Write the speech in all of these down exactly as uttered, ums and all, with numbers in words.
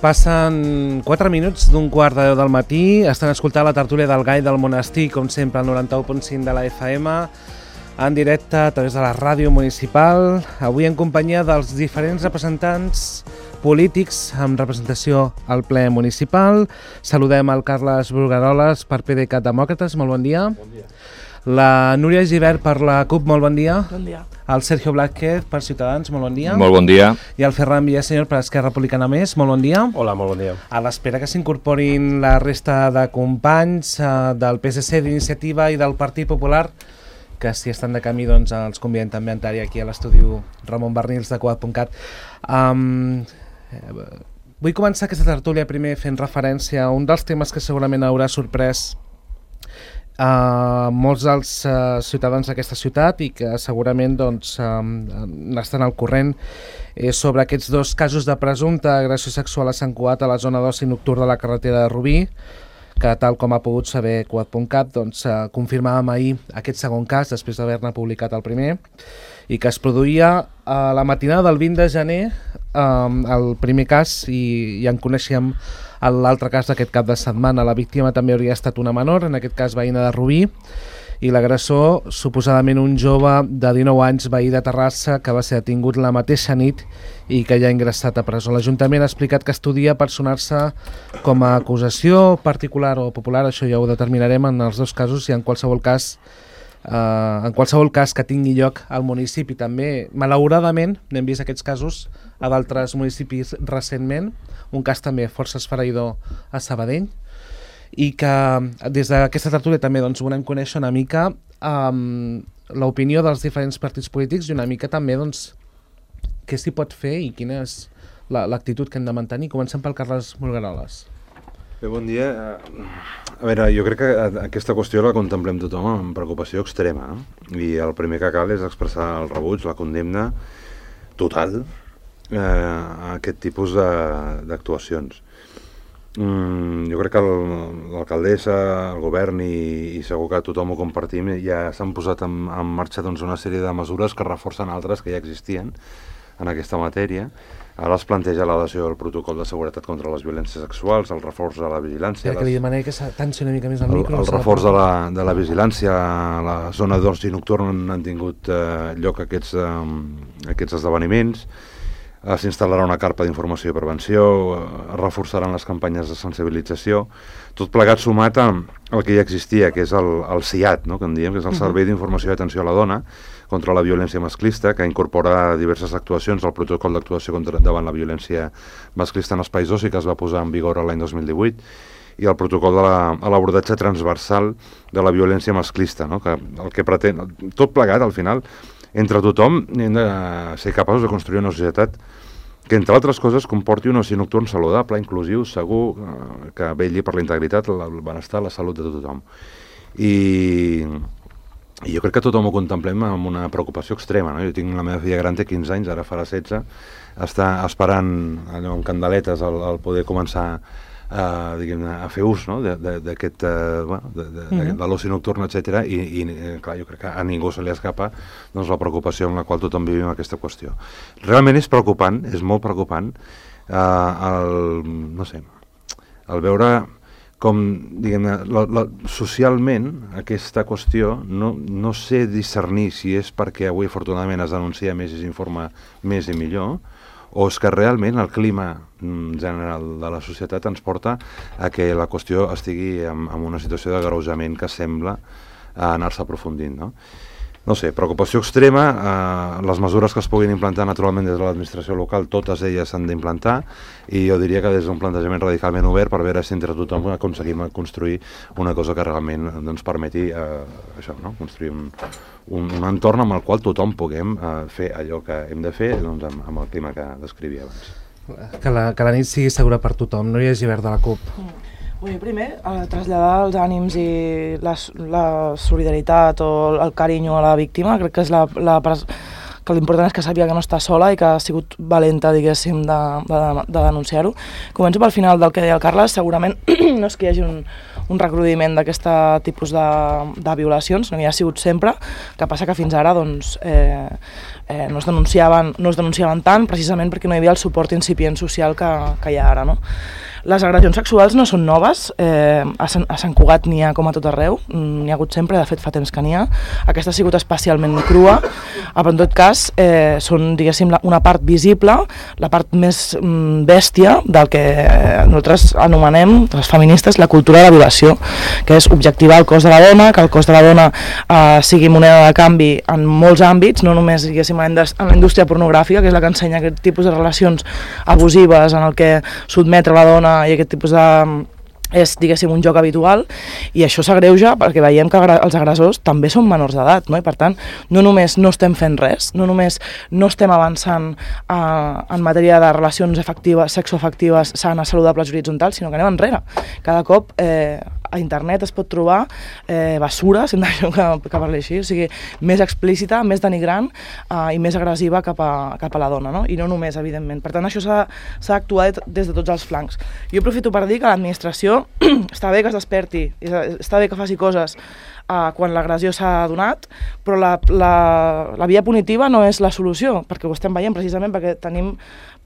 Passen quatre minuts d'un quart de deu del matí. Estan escoltant la tertúlia del Gall del Monestir, com sempre, al noranta-u punt cinc de la F M, en directe a través de la ràdio municipal. Avui en companyia dels diferents representants polítics amb representació al ple municipal. Saludem el Carles Brugueroles per PDeCAT Demòcrates, molt bon dia. Bon dia. La Núria Gibert per la CUP, molt bon dia. Bon dia. El Sergio Blázquez per Ciutadans, molt bon dia. Molt bon dia. I el Ferran Villaseñor per Esquerra Republicana Més, molt bon dia. Hola, molt bon dia. A l'espera que s'incorporin la resta de companys eh, del P S C, d'Iniciativa i del Partit Popular, que si estan de camí doncs els convidem també a entrar aquí a l'estudi Ramon Barnils de Cugat punt cat. Um, eh, vull començar aquesta tertúlia primer fent referència a un dels temes que segurament haurà sorprès Uh, molts dels uh, ciutadans d'aquesta ciutat i que segurament doncs, um, n'estan al corrent eh, sobre aquests dos casos de presumpta agressió sexual a Sant Cugat a la zona d'oci nocturn de la carretera de Rubí, que tal com ha pogut saber Cugat punt cat, doncs, uh, confirmàvem ahir aquest segon cas després d'haver-ne publicat el primer, i que es produïa a la matinada del vint de gener um, el primer cas, i, i en coneixíem l'altre cas d'aquest cap de setmana. La víctima també hauria estat una menor, en aquest cas veïna de Rubí, i l'agressor, suposadament un jove de dinou anys, veí de Terrassa, que va ser detingut la mateixa nit i que ja ha ingressat a presó. L'Ajuntament ha explicat que estudia personar-se com a acusació particular o popular, això ja ho determinarem en els dos casos, i en qualsevol cas Uh, en qualsevol cas que tingui lloc al municipi. També, malauradament, n'hem vist aquests casos a d'altres municipis recentment, un cas també força esfereïdor a Sabadell, i que des d'aquesta tertúlia també doncs, volem conèixer una mica um, l'opinió dels diferents partits polítics i una mica també doncs, què s'hi pot fer i quina és l'actitud que hem de mantenir. Comencem pel Carles Brugueroles. Bé, bon dia. A veure, jo crec que aquesta qüestió la contemplem tothom amb preocupació extrema, no? I el primer que cal és expressar el rebuig, la condemna total eh, a aquest tipus d'actuacions. Mm, jo crec que l'alcaldessa, el govern i, i segur que tothom ho compartim, ja s'han posat en, en marxa doncs, una sèrie de mesures que reforcen altres que ja existien en aquesta matèria. Ara es planteja l'adhesió al protocol de seguretat contra les violències sexuals, el reforç de la vigilància... Ja, que li demanaré que s'atanci una mica més al micro. El, el reforç de la, de la vigilància a la zona d'oci nocturn han tingut eh, lloc aquests, eh, aquests esdeveniments. Eh, S'instal·larà una carpa d'informació i prevenció, eh, es reforçaran les campanyes de sensibilització, tot plegat sumat al que ja existia, que és el, el C I A T, no?, que en diem, que és el Servei d'Informació i Atenció a la Dona, contra la violència masclista, que incorpora diverses actuacions al protocol d'actuació contra, davant la violència masclista en espais d'oci, que es va posar en vigor l'any dos mil divuit, i el protocol de l'abordatge transversal de la violència masclista, no? Que el que pretén, tot plegat, al final, entre tothom hem de ser capaços de construir una societat que, entre altres coses, comporti un oci nocturn saludable, inclusiu, segur, eh, que vetlli per la integritat, el benestar, la salut de tothom. I... I jo crec que tothom ho contemplem amb una preocupació extrema, no? Jo tinc la meva filla gran, té quinze anys, ara farà setze, està esperant allò amb candeletes el, el poder començar uh, diguem-ne, a fer ús, no?, d'aquest uh, bueno, de, de, de, de l'oci nocturn, etcètera, i, i clar, jo crec que a ningú se li escapa doncs, la preocupació en la qual tothom vivim aquesta qüestió. Realment és preocupant, és molt preocupant, uh, el, no sé, el veure com, diguem-ne, la, la, socialment aquesta qüestió no, no sé discernir si és perquè avui afortunadament es denuncia més i s'informa més i millor, o és que realment el clima general de la societat ens porta a que la qüestió estigui en, en una situació d'agreujament que sembla anar-se aprofundint, no? No sé, preocupació extrema, eh, les mesures que es puguin implantar naturalment des de l'administració local, totes elles s'han d'implantar, i jo diria que des d'un plantejament radicalment obert per veure si entre tothom aconseguim construir una cosa que realment ens permeti eh, això, no? Construir un, un, un entorn amb el qual tothom puguem eh, fer allò que hem de fer doncs, amb, amb el clima que descrivia abans. Que la, que la nit sigui segura per tothom, no hi hagi verd de la CUP. Mm. Vull primer eh, traslladar els ànims i la, la solidaritat o el carinyo a la víctima. Crec que és la, la que l'important és que sàpiga que no està sola i que ha sigut valenta, diguéssim, de, de, de denunciar-ho. Començo pel final del que deia el Carles. Segurament no és que hi hagi un, un recrudiment d'aquest tipus de, de violacions, no hi ha sigut sempre, que passa que fins ara doncs, eh, eh, no, es denunciaven, no es denunciaven tant precisament perquè no hi havia el suport incipient social que, que hi ha ara, no? Les agressions sexuals no són noves, eh, a, Sant, a Sant Cugat n'hi ha com a tot arreu, n'hi ha hagut sempre, de fet fa temps que n'hi ha. Aquesta ha sigut especialment crua, però en tot cas eh, són, diguéssim, una part visible, la part més mm, bèstia del que nosaltres anomenem, les feministes, la cultura de la violació, que és objectivar el cos de la dona, que el cos de la dona eh, sigui moneda de canvi en molts àmbits, no només, diguéssim, en la indústria pornogràfica, que és la que ensenya aquest tipus de relacions abusives en el que sotmetre la dona i aquest tipus de... és, diguéssim, un joc habitual, i això s'agreuja perquè veiem que els agressors també són menors d'edat, no? I per tant, no només no estem fent res, no només no estem avançant eh, en matèria de relacions efectives, sexoafectives, sanes, saludables, horitzontals, sinó que anem enrere. Cada cop eh, a internet es pot trobar eh, basura, si em deixo que, que parli així, o sigui, més explícita, més denigrant eh, i més agressiva cap a, cap a la dona, no? I no només, evidentment. Per tant, això s'ha d'actuar des de tots els flancs. Jo aprofito per dir que l'administració està bé que es desperti, està bé que faci coses uh, quan l'agressió s'ha donat, però la, la, la via punitiva no és la solució, perquè ho estem veient precisament perquè tenim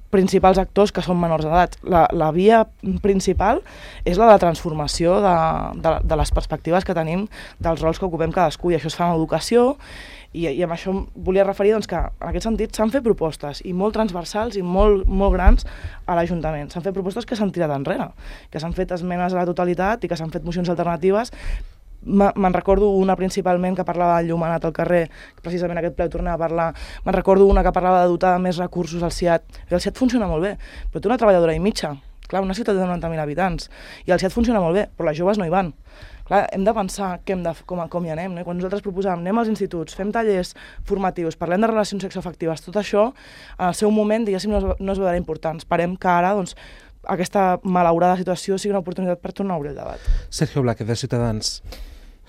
principals actors que són menors d'edat. La, la via principal és la de transformació de, de, de les perspectives que tenim dels rols que ocupem cadascú, i això es fa en educació, i, i amb això volia referir doncs, que en aquest sentit s'han fet propostes, i molt transversals i molt, molt grans a l'Ajuntament. S'han fet propostes que s'han tirat enrere, que s'han fet esmenes a la totalitat i que s'han fet mocions alternatives. Me'n recordo una principalment que parlava del llumenat al carrer, que precisament aquest ple ho tornava a parlar. Me'n recordo una que parlava de dotar de més recursos al SIAT. El SIAT funciona molt bé, però té una treballadora i mitja. Clar, una ciutat de noranta mil habitants. I el SIAT funciona molt bé, però les joves no hi van. Clar, hem de pensar que hem de, com, com hi anem, no? I quan nosaltres proposàvem, anem als instituts, fem tallers formatius, parlem de relacions sexoafectives, tot això, en el seu moment, diguéssim, no es, no es veurà important. Esperem que ara, doncs, aquesta malaurada situació sigui una oportunitat per tornar a obrir el debat. Sergio Blázquez, de Ciutadans.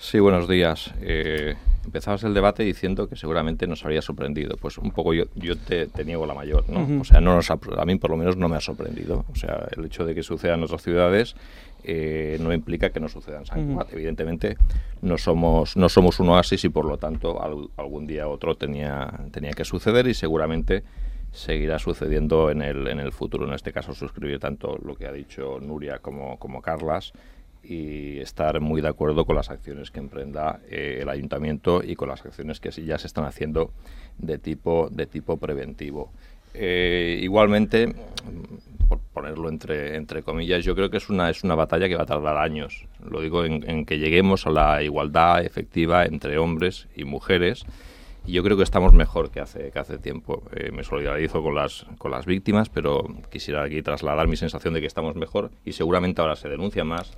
Sí, buenos días. Eh, empezabas el debate diciendo que seguramente nos habría sorprendido. Pues un poco yo, yo te, te niego la mayor, ¿no? Uh-huh. O sea, no nos ha, a mí por lo menos no me ha sorprendido. O sea, el hecho de que suceda en otras ciudades eh, no implica que no suceda en San Cugat. Uh-huh. Evidentemente no somos, no somos un oasis y por lo tanto al, algún día u otro tenía, tenía que suceder y seguramente seguirá sucediendo en el, en el futuro. En este caso suscribir tanto lo que ha dicho Nuria como, como Carlas, y estar muy de acuerdo con las acciones que emprenda eh, el ayuntamiento y con las acciones que ya se están haciendo de tipo, de tipo preventivo. Eh, igualmente, por ponerlo entre, entre comillas, yo creo que es una, es una batalla que va a tardar años. Lo digo en, en que lleguemos a la igualdad efectiva entre hombres y mujeres. Y yo creo que estamos mejor que hace, que hace tiempo. Eh, me solidarizo con las, con las víctimas, pero quisiera aquí trasladar mi sensación de que estamos mejor y seguramente ahora se denuncia más.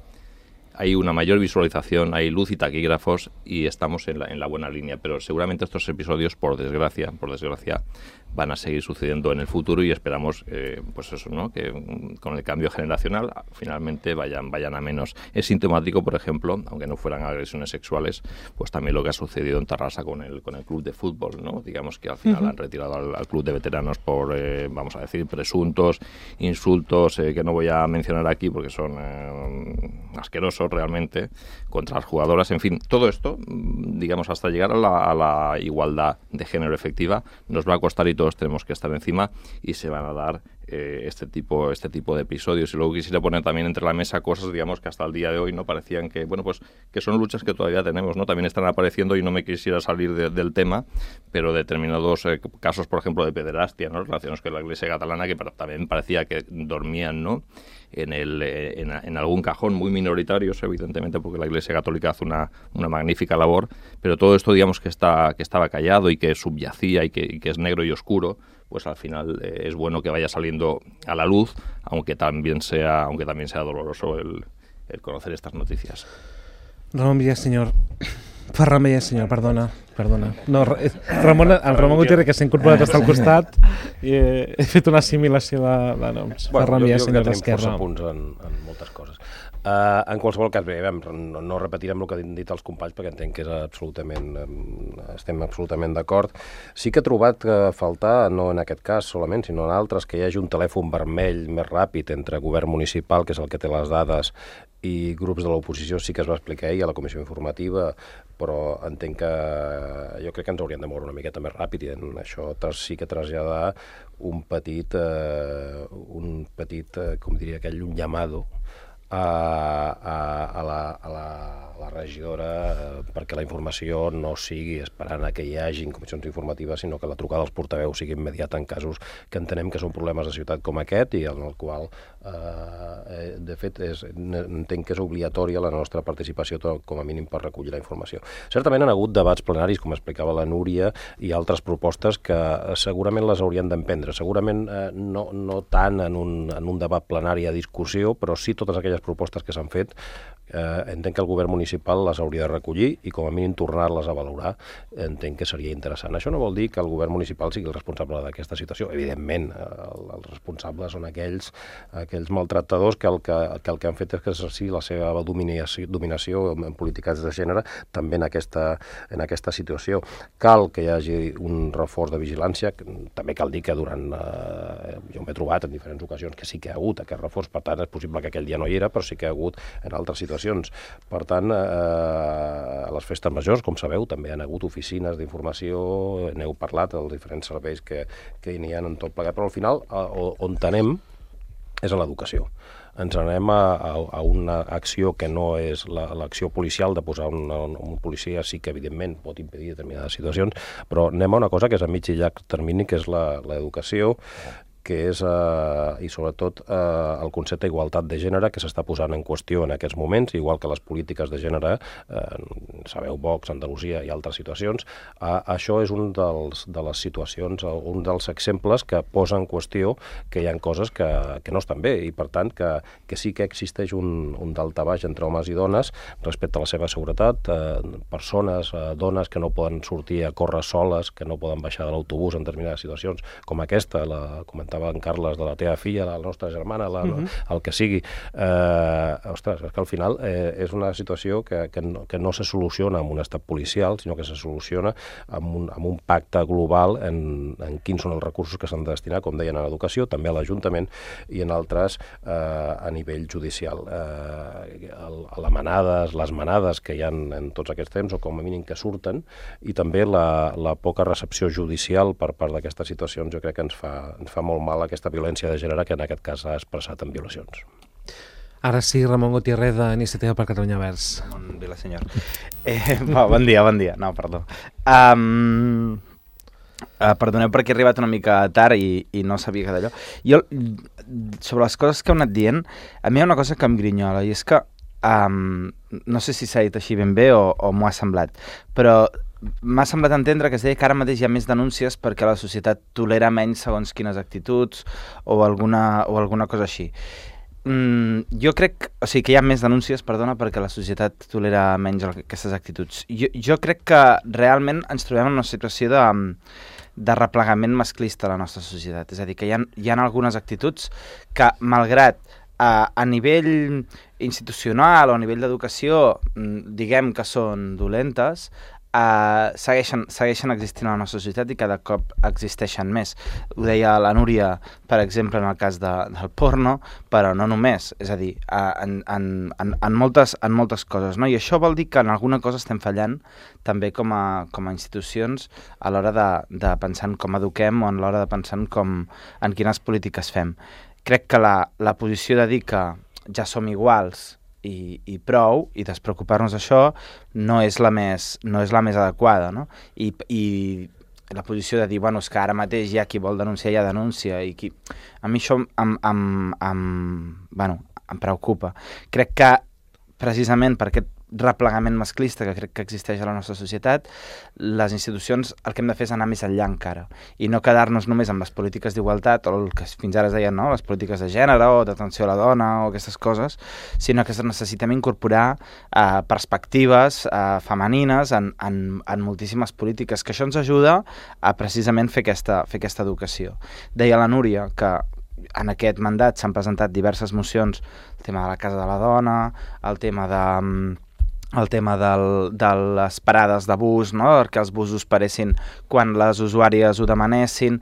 Hay una mayor visualización, hay luz y taquígrafos y estamos en la, en la buena línea, pero seguramente estos episodios, por desgracia, por desgracia, van a seguir sucediendo en el futuro y esperamos, eh, pues eso, ¿no? Que um, con el cambio generacional finalmente vayan, vayan a menos. Es sintomático, por ejemplo, aunque no fueran agresiones sexuales, pues también lo que ha sucedido en Tarrasa con el, con el club de fútbol, ¿no? Digamos que al final uh-huh. han retirado al, al club de veteranos por, eh, vamos a decir, presuntos insultos eh, que no voy a mencionar aquí porque son eh, asquerosos realmente, contra las jugadoras, en fin, todo esto, digamos, hasta llegar a la, a la igualdad de género efectiva, nos va a costar y todos tenemos que estar encima y se van a dar eh, este tipo este tipo de episodios. Y luego quisiera poner también entre la mesa cosas, digamos, que hasta el día de hoy no parecían que, bueno, pues que son luchas que todavía tenemos, ¿no? También están apareciendo y no me quisiera salir de, del tema, pero determinados eh, casos, por ejemplo, de pederastia, ¿no? Relacionados con la Iglesia catalana, que también parecía que dormían, ¿no? En, el, en, en algún cajón, muy minoritarios, evidentemente, porque la Iglesia Católica hace una, una magnífica labor, pero todo esto, digamos, que está que estaba callado y que subyacía y que, y que es negro y oscuro, pues al final eh, es bueno que vaya saliendo a la luz, aunque también sea aunque también sea doloroso el, el conocer estas noticias. Ramon Villaseñor, Ferran Villaseñor, perdona, perdona. No, Ramon, el Ramon Gutiérrez, que s'ha incorporat hasta al costat, i he, he fet una assimilació de, de noms. Bueno, Ferran Villaseñor d'Esquerra. Jo crec que tenim força punts en, en moltes coses. Uh, en qualsevol cas, bé, no, no repetirem el que han dit els companys perquè entenc que és absolutament um, estem absolutament d'acord. Sí que he trobat que faltar, no en aquest cas solament, sinó en altres, que hi hagi un telèfon vermell més ràpid entre govern municipal, que és el que té les dades, i grups de l'oposició. Sí que es va explicar ahir a la comissió informativa, però entenc que jo crec que ens hauríem de moure una miqueta més ràpid i en això sí que traslladar un petit, eh, un petit eh, com diria aquell, un llamado a, a, a, la, a, la, a la regidora eh, perquè la informació no sigui esperant a que hi hagin comissions informatives, sinó que la trucada als portaveus sigui immediata en casos que entenem que són problemes de ciutat com aquest i en el qual eh, de fet és, entenc que és obligatòria la nostra participació com a mínim per recollir la informació. Certament han hagut debats plenaris, com explicava la Núria, i altres propostes que segurament les haurien d'emprendre. Segurament eh, no, no tant en un, en un debat plenari a discussió, però sí totes aquelles propostes que s'han fet, eh, entenc que el govern municipal les hauria de recollir i com a mínim tornar-les a valorar, entenc que seria interessant. Això no vol dir que el govern municipal sigui el responsable d'aquesta situació. Evidentment, el, els responsables són aquells, aquells maltractadors que el que, que el que han fet és exercir la seva dominació, dominació en polítiques de gènere també en aquesta, en aquesta situació. Cal que hi hagi un reforç de vigilància, també cal dir que durant, eh, jo m'he trobat en diferents ocasions que sí que hi ha hagut aquest reforç, per tant és possible que aquell dia no hi era, però sí que hi ha hagut en altres situacions. Per tant, eh, a les festes majors, com sabeu, també hi ha hagut oficines d'informació, n'heu parlat dels diferents serveis que, que hi ha en tot plegat, però al final on anem és a l'educació. Ens anem a, a, a una acció que no és l'acció la, policial de posar un, un, un policia, sí que evidentment pot impedir determinades situacions, però anem a una cosa que és a mig i llarg termini, que és l'educació, que és, eh, i sobretot, eh, el concepte d'igualtat de gènere que s'està posant en qüestió en aquests moments, igual que les polítiques de gènere, eh, sabeu, Vox, Andalusia i altres situacions. Eh, això és un dels, de les situacions, un dels exemples que posa en qüestió que hi ha coses que, que no estan bé i, per tant, que, que sí que existeix un, un daltabaix entre homes i dones respecte a la seva seguretat, eh, persones, eh, dones que no poden sortir a córrer soles, que no poden baixar de l'autobús en determinades situacions, com aquesta, la comentava en Carles, de la teva filla, la nostra germana, la, uh-huh. el que sigui. Eh, ostres, és que al final eh, és una situació que, que, no, que no se soluciona amb un estat policial, sinó que se soluciona amb un, amb un pacte global en, en quins són els recursos que s'han de destinar, com deien, a l'educació, també a l'Ajuntament i en altres eh, a nivell judicial. Eh, el, la manades, les manades que hi ha en tots aquests temps, o com a mínim que surten, i també la, la poca recepció judicial per part d'aquestes situacions, jo crec que ens fa, ens fa molt mal aquesta violència de gènere que en aquest cas s'ha expressat en violacions. Ara sí, Ramon Gutiérrez, d'Iniciativa per Catalunya Verds. Bon dia, senyor. Eh, va, bon dia, bon dia. No, perdó. Um, uh, perdoneu perquè he arribat una mica tard i, i no sabia que d'allò. Jo, sobre les coses que heu anat dient, a mi hi ha una cosa que em grinyola, i és que um, no sé si s'ha dit així ben bé o, o m'ho ha semblat, però m'ha semblat entendre que es deia que ara mateix hi ha més denúncies perquè la societat tolera menys segons quines actituds o alguna, o alguna cosa així. Mm, jo crec, o sigui, que hi ha més denúncies, perdona, perquè la societat tolera menys aquestes actituds. Jo, jo crec que realment ens trobem en una situació de, de replegament masclista a la nostra societat. És a dir, que hi ha, hi ha algunes actituds que, malgrat a, a nivell institucional o a nivell d'educació, diguem que són dolentes, Uh, segueixen, segueixen existint a la nostra societat i cada cop existeixen més. Ho deia la Núria, per exemple, en el cas de, del porno, però no només, és a dir, uh, en, en, en, en, moltes, en moltes coses, no? I això vol dir que en alguna cosa estem fallant també com a, com a institucions a l'hora de, de pensar en com eduquem o a l'hora de pensar en, com, en quines polítiques fem. Crec que la, la posició de dir que ja som iguals I, i prou, i despreocupar-nos d'això no és la més, no és la més adequada, no? I, i la posició de dir, bueno, és que ara mateix hi ha qui vol denunciar, ja denuncia, i qui... A mi això em, em, em, bueno, em preocupa. Crec que precisament per aquest replegament masclista que crec que existeix a la nostra societat, les institucions el que hem de fer és anar més enllà encara i no quedar-nos només amb les polítiques d'igualtat o el que fins ara es deien, no? Les polítiques de gènere o d'atenció a la dona o aquestes coses, sinó que necessitem incorporar eh, perspectives eh, femenines en, en, en moltíssimes polítiques, que això ens ajuda a precisament fer aquesta, fer aquesta educació. Deia la Núria que en aquest mandat s'han presentat diverses mocions, el tema de la Casa de la Dona, el tema de el tema del, de les parades de bus, no? Perquè els busos paressin quan les usuàries ho demanessin.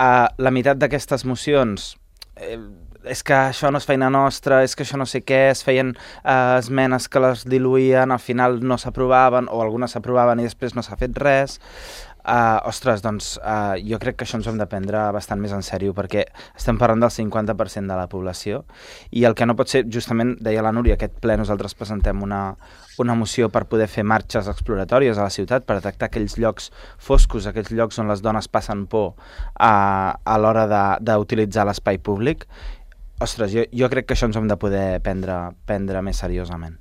Uh, la meitat d'aquestes mocions, eh, és que això no és feina nostra, és que això no sé què, es feien uh, esmenes que les diluïen, al final no s'aprovaven, o algunes s'aprovaven i després no s'ha fet res. Uh, ostres, doncs uh, jo crec que això ens ho hem de prendre bastant més en sèrio, perquè estem parlant del cinquanta per cent de la població i el que no pot ser, justament deia la Núria, aquest ple nosaltres presentem una, una moció per poder fer marxes exploratòries a la ciutat, per detectar aquells llocs foscos, aquells llocs on les dones passen por a, a l'hora d'utilitzar l'espai públic. Ostres, jo, jo crec que això ens ho hem de poder prendre, prendre més seriosament.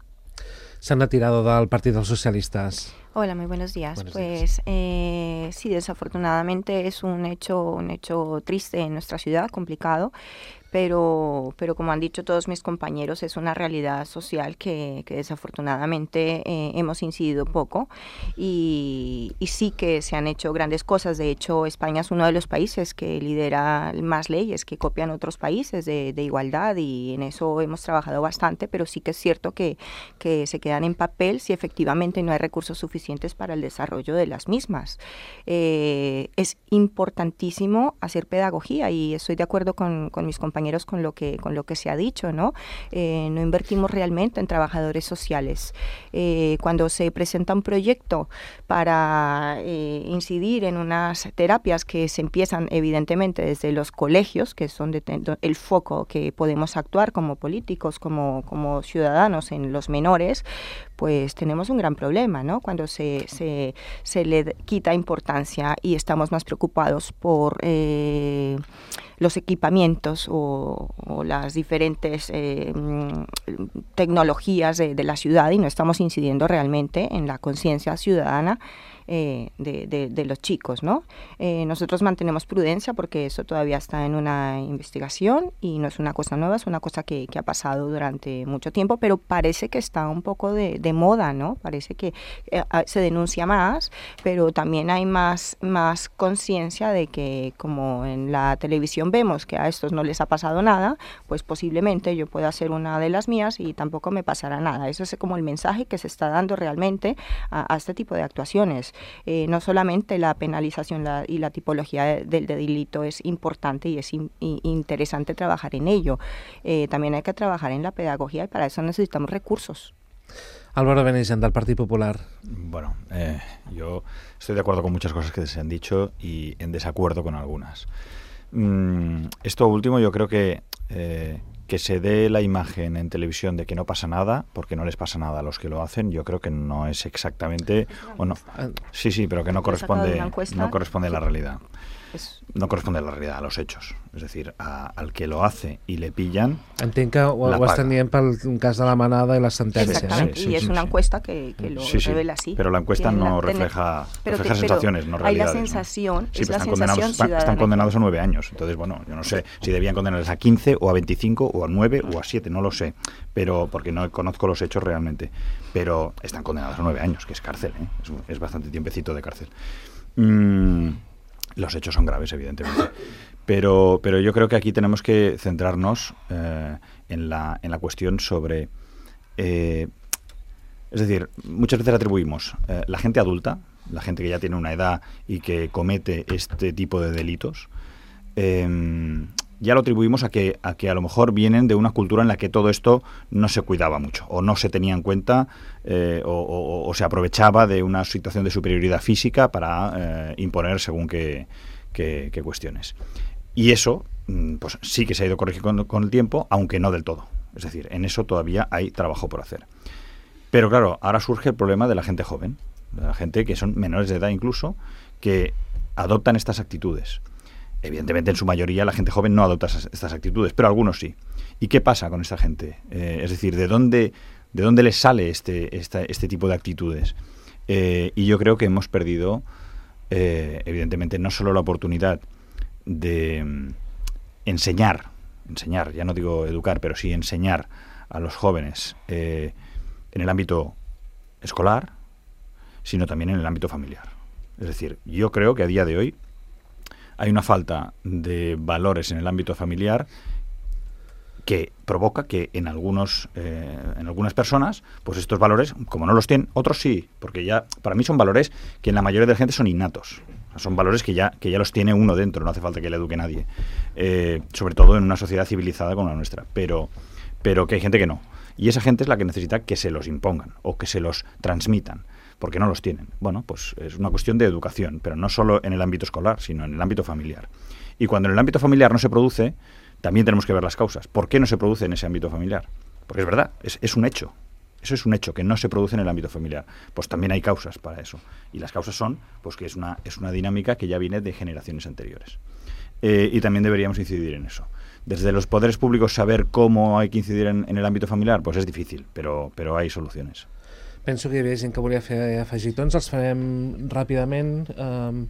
¿Se han retirado del Partido de los Socialistas? Hola, muy buenos días. Buenos pues días. Eh, sí, desafortunadamente es un hecho, un hecho triste en nuestra ciudad, complicado, pero, pero como han dicho todos mis compañeros, es una realidad social que, que desafortunadamente eh, hemos incidido poco y, y sí que se han hecho grandes cosas. De hecho, España es uno de los países que lidera más leyes que copian otros países de, de igualdad y en eso hemos trabajado bastante, pero sí que es cierto que, que se quedan en papel si efectivamente no hay recursos suficientes para el desarrollo de las mismas. Eh, es importantísimo hacer pedagogía y estoy de acuerdo con, con mis compañeros con lo que con lo que se ha dicho, ¿no? Eh, no invertimos realmente en trabajadores sociales. Eh, cuando se presenta un proyecto para eh, incidir en unas terapias que se empiezan evidentemente desde los colegios, que son de, de, el foco que podemos actuar como políticos, como, como ciudadanos en los menores, pues tenemos un gran problema, ¿no? Cuando se, se, se le quita importancia y estamos más preocupados por eh, los equipamientos o, o las diferentes eh, tecnologías de, de la ciudad y no estamos incidiendo realmente en la conciencia ciudadana eh, de, de, de los chicos, ¿no? Eh, nosotros mantenemos prudencia porque eso todavía está en una investigación y no es una cosa nueva, es una cosa que, que ha pasado durante mucho tiempo, pero parece que está un poco de, de moda, ¿no? Parece que eh, se denuncia más, pero también hay más, más conciencia de que como en la televisión vemos que a estos no les ha pasado nada, pues posiblemente yo pueda hacer una de las mías y tampoco me pasará nada. Eso es como el mensaje que se está dando realmente a, a este tipo de actuaciones. Eh, no solamente la penalización la, y la tipología de, del de delito es importante y es in, y interesante trabajar en ello, eh, también hay que trabajar en la pedagogía y para eso necesitamos recursos. Álvaro Benigent, del Partido Popular. Bueno, eh, yo estoy de acuerdo con muchas cosas que se han dicho y en desacuerdo con algunas. Mm, esto último yo creo que eh, que se dé la imagen en televisión de que no pasa nada, porque no les pasa nada a los que lo hacen, yo creo que no es exactamente... o no. Sí, sí, pero que no corresponde, no corresponde a la realidad. No corresponde a la realidad, a los hechos. És a dir, a, al que lo hace i le pillan... Entenc que ho, ho estan dient pel cas de la manada i la sentència. Exactament, sí, sí, y es sí, una sí. encuesta que, que lo sí, sí, revela así. Pero la encuesta no la, refleja, pero refleja te, sensaciones, pero no realidades. Hay la sensación, ¿no? Sí, es la están, sensación condenados, están, están condenados a nueve años. Entonces, bueno, yo no sé si debían condenarles a quince o a veinticinco o a nueve o a siete, no lo sé. Pero porque no conozco los hechos realmente. Pero están condenados a nueve años, que es cárcel, ¿eh? es, es bastante tiempecito de cárcel. Mm, los hechos son graves, evidentemente. Pero, pero yo creo que aquí tenemos que centrarnos eh, en, la, en la cuestión sobre... Eh, es decir, muchas veces atribuimos eh, la gente adulta, la gente que ya tiene una edad y que comete este tipo de delitos, eh, ya lo atribuimos a que, a que a lo mejor vienen de una cultura en la que todo esto no se cuidaba mucho o no se tenía en cuenta eh, o, o, o se aprovechaba de una situación de superioridad física para eh, imponer según qué, qué, qué cuestiones. Y eso pues sí que se ha ido corrigiendo con, con el tiempo, aunque no del todo. Es decir, en eso todavía hay trabajo por hacer. Pero claro, ahora surge el problema de la gente joven, de la gente que son menores de edad incluso, que adoptan estas actitudes. Evidentemente, en su mayoría, la gente joven no adopta esas, estas actitudes, pero algunos sí. ¿Y qué pasa con esta gente? Eh, es decir, ¿de dónde, de dónde les sale este, esta, este tipo de actitudes? Eh, y yo creo que hemos perdido, eh, evidentemente, no solo la oportunidad de um, enseñar, enseñar, ya no digo educar, pero sí enseñar a los jóvenes eh, en el ámbito escolar, sino también en el ámbito familiar. Es decir, yo creo que a día de hoy hay una falta de valores en el ámbito familiar que provoca que en algunos eh, en algunas personas, pues estos valores, como no los tienen, otros sí, porque ya para mí son valores que en la mayoría de la gente son innatos. Son valores que ya, que ya los tiene uno dentro, no hace falta que le eduque nadie. Eh, sobre todo en una sociedad civilizada como la nuestra. Pero, pero que hay gente que no. Y esa gente es la que necesita que se los impongan o que se los transmitan, porque no los tienen. Bueno, pues es una cuestión de educación, pero no solo en el ámbito escolar, sino en el ámbito familiar. Y cuando en el ámbito familiar no se produce, también tenemos que ver las causas. ¿Por qué no se produce en ese ámbito familiar? Porque es verdad, es, es un hecho. Eso es un hecho, que no se produce en el ámbito familiar. Pues también hay causas para eso. Y las causas son pues que es una, es una dinámica que ya viene de generaciones anteriores. Eh, y también deberíamos incidir en eso. Desde los poderes públicos saber cómo hay que incidir en, en el ámbito familiar, pues es difícil, però, però hay soluciones. Penso que hi havia gent que volia fer afegitons, els farem ràpidament. Um,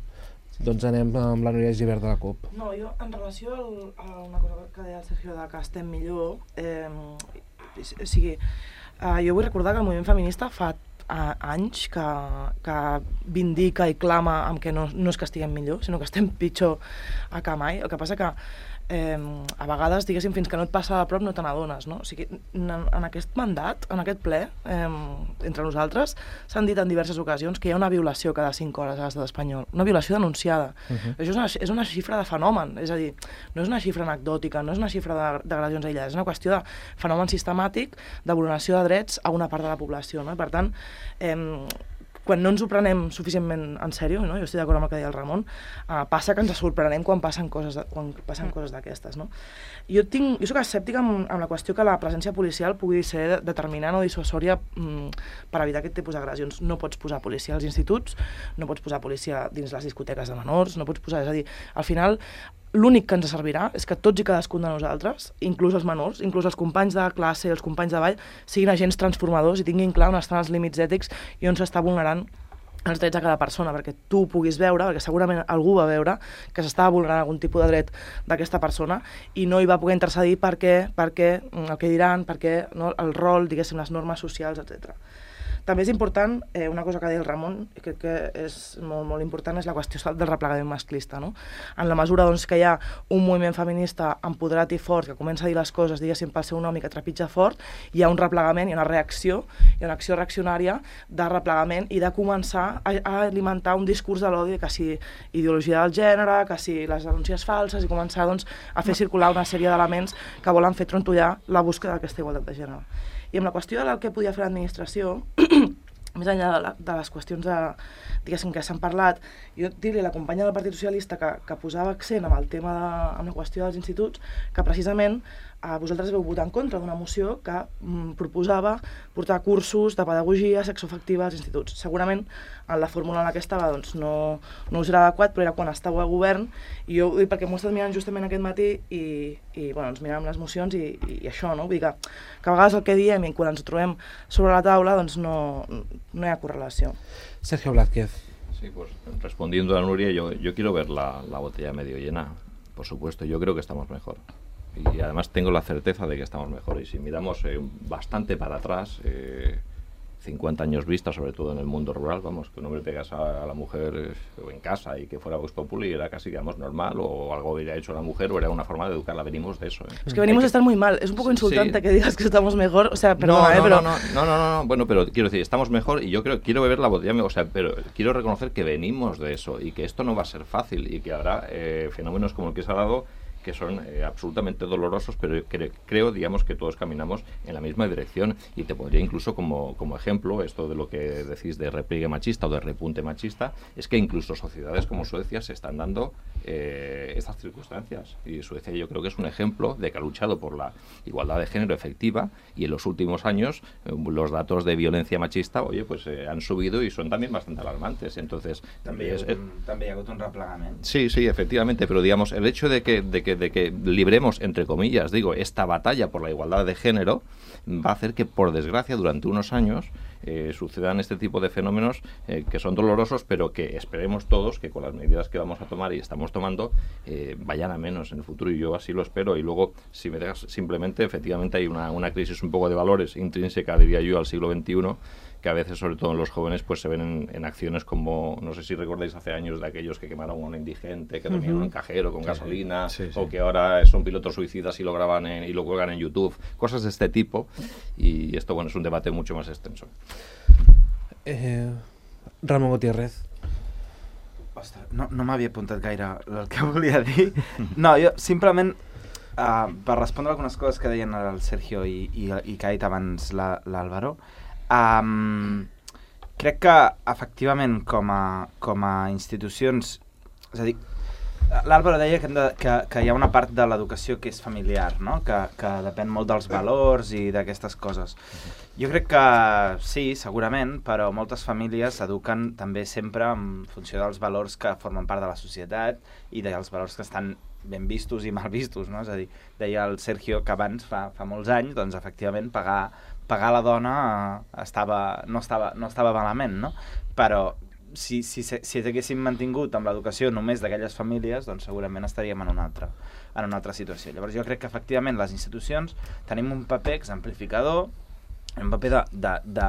doncs anem amb la Núria Gibert de la CUP. No, jo en relació al, a una cosa que deia el Sergio de que estem millor, eh, o sigui, Uh, jo vull recordar que el moviment feminista fa uh, anys que, que vindica i clama amb que no, no és que estiguem millor, sinó que estem pitjor a que mai. El que passa que eh, a vegades, diguéssim, fins que no et passa a prop no te n'adones, no? O sigui, en, en aquest mandat, en aquest ple, eh, entre nosaltres, s'han dit en diverses ocasions que hi ha una violació cada cinc hores a l'estat espanyol, una violació denunciada. Uh-huh. Això és una, és una xifra de fenomen, és a dir, no és una xifra anecdòtica, no és una xifra d'agressions aïllades, és una qüestió de fenomen sistemàtic de vulneració de drets a una part de la població, no? I per tant, eh, quan no ens ho prenem suficientment en sèrio, no? Jo estic d'acord amb el que deia el Ramon, uh, passa que ens sorprenem quan passen coses, de, quan passen coses d'aquestes, no? Jo, tinc, jo soc escèptica amb, amb la qüestió que la presència policial pugui ser determinant o dissuasòria mm, per evitar aquest tipus d'agressions. No pots posar policia als instituts, no pots posar policia dins les discoteques de menors, no pots posar... És a dir, al final, l'únic que ens servirà és que tots i cadascun de nosaltres, inclús els menors, inclús els companys de classe i els companys de ball, siguin agents transformadors i tinguin clar on estan els límits ètics i on s'està vulnerant els drets de cada persona, perquè tu puguis veure, perquè segurament algú va veure que s'estava vulnerant algun tipus de dret d'aquesta persona i no hi va poder intercedir perquè, perquè el que diran, perquè no, el rol, diguéssim, les normes socials, etcètera. També és important, eh, una cosa que deia el Ramon, i crec que és molt, molt important, és la qüestió del replegament masclista, no? En la mesura doncs, que hi ha un moviment feminista empoderat i fort, que comença a dir les coses, diguéssim, pel seu nom i que trepitja fort, hi ha un replegament, hi ha una reacció, hi ha una acció reaccionària de replegament i de començar a, a alimentar un discurs de l'odi, que si ideologia del gènere, que si les denúncies falses, i començar doncs, a fer circular una sèrie d'elements que volen fer trontollar la búsqueda d'aquesta igualtat de gènere. I amb la qüestió del que podia fer l'administració, més enllà de, la, de les qüestions de, diguéssim, que s'han parlat, jo dir-li a la companya del Partit Socialista que, que posava accent amb el tema de, amb la qüestió dels instituts, que precisament eh, vosaltres veu votar en contra d'una moció que mm, proposava portar cursos de pedagogia sexoafectiva als instituts. Segurament en la fórmula en la que estava doncs, no, no us era adequat, però era quan estàveu a govern, i jo ho dic perquè m'ho he estat mirant justament aquest matí i, i bueno, ens miràvem les mocions i, i, i això, no? Vull dir que, que a vegades el que diem i quan ens ho trobem sobre la taula doncs no, no hi ha correlació. Sergio Blázquez. Sí, pues respondiendo a Nuria, yo, yo quiero ver la, la botella medio llena, por supuesto, yo creo que estamos mejor. Y además tengo la certeza de que estamos mejor. Y si miramos eh, bastante para atrás, eh, cincuenta años vista, sobre todo en el mundo rural, vamos, que un hombre pegase a, a la mujer eh, en casa y que fuera Vox Populi era casi, digamos, normal, o algo había hecho la mujer, o era una forma de educarla. Venimos de eso. ¿eh? Es que venimos que... de estar muy mal. Es un poco insultante sí. que digas que estamos mejor. O sea, perdona, no, no, ¿eh? Pero... No, no, no, no, no, bueno, pero quiero decir, estamos mejor y yo creo, quiero beber la botella, o sea, pero quiero reconocer que venimos de eso y que esto no va a ser fácil y que habrá eh, fenómenos como el que se ha dado que son eh, absolutamente dolorosos, pero cre creo, digamos, que todos caminamos en la misma dirección, y te podría incluso como, como ejemplo, esto de lo que decís de repliegue machista o de repunte machista, es que incluso sociedades como Suecia se están dando eh, estas circunstancias, y Suecia yo creo que es un ejemplo de que ha luchado por la igualdad de género efectiva, y en los últimos años eh, los datos de violencia machista, oye, pues eh, han subido y son también bastante alarmantes, entonces... També, es, hi ha un, eh, també hi ha hagut un replegament. Sí, sí, efectivamente, pero digamos, el hecho de que, de que de que libremos, entre comillas, digo, esta batalla por la igualdad de género va a hacer que, por desgracia, durante unos años eh, sucedan este tipo de fenómenos eh, que son dolorosos, pero que esperemos todos que con las medidas que vamos a tomar y estamos tomando eh, vayan a menos en el futuro, y yo así lo espero. Y luego, si me dejas, simplemente, efectivamente hay una, una crisis un poco de valores intrínseca, diría yo, al siglo veintiuno, que a veces, sobre todo en los jóvenes, pues se ven en, en acciones como, no sé si recordáis hace años de aquellos que quemaron a un indigente, que dormían en un cajero con gasolina, sí, sí. o que ahora son pilotos suicidas y lo graban en, y lo cuelgan en YouTube, cosas de este tipo, y esto, bueno, es un debate mucho más extenso. Eh, Ramon Gutiérrez. Ostres, no, no m'havia apuntat gaire el que volia dir. No, jo simplement, uh, per respondre algunes coses que deien el Sergio i, i, i que ha dit abans l'Àlvaro, um, crec que, efectivament, com a, com a institucions, és a dir, l'Àlvaro deia que, hem de, que, que hi ha una part de l'educació que és familiar, no? que, que depèn molt dels valors i d'aquestes coses. Jo crec que sí, segurament, però moltes famílies eduquen també sempre en funció dels valors que formen part de la societat i dels valors que estan ben vistos i mal vistos, no? És a dir, deia el Sergio que abans, fa, fa molts anys, doncs efectivament pagar, pagar la dona estava, no, estava, no estava malament, no? Però si, si, si haguéssim mantingut amb l'educació només d'aquelles famílies, doncs segurament estaríem en una altra, en una altra situació. Llavors jo crec que efectivament les institucions tenim un paper exemplificador, un paper de, de, de,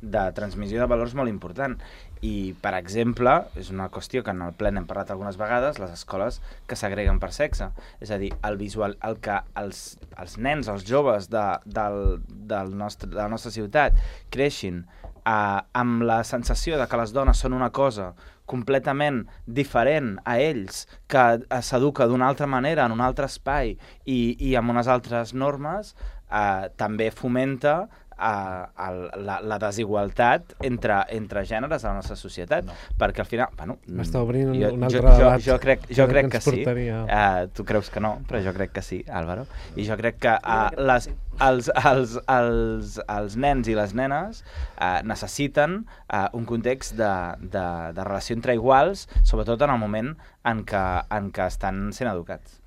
de transmissió de valors molt important. I, per exemple, és una qüestió que en el ple n'hem parlat algunes vegades, les escoles que s'agreguen per sexe. És a dir, el visual, el que els, els nens, els joves de, del, del nostre, de la nostra ciutat creixin eh, amb la sensació de que les dones són una cosa completament diferent a ells, que s'educa d'una altra manera, en un altre espai i, i amb unes altres normes, eh, també fomenta a, a la, la desigualtat entre, entre gèneres a la nostra societat, no. Perquè al final... Bueno, m'està obrint jo, un altre jo, debat. Jo, jo crec, jo crec que, que sí. Uh, tu creus que no, però jo crec que sí, Álvaro. I jo crec que uh, les, els, els, els, els nens i les nenes uh, necessiten uh, un context de, de, de relació entre iguals, sobretot en el moment en què, en què estan sent educats.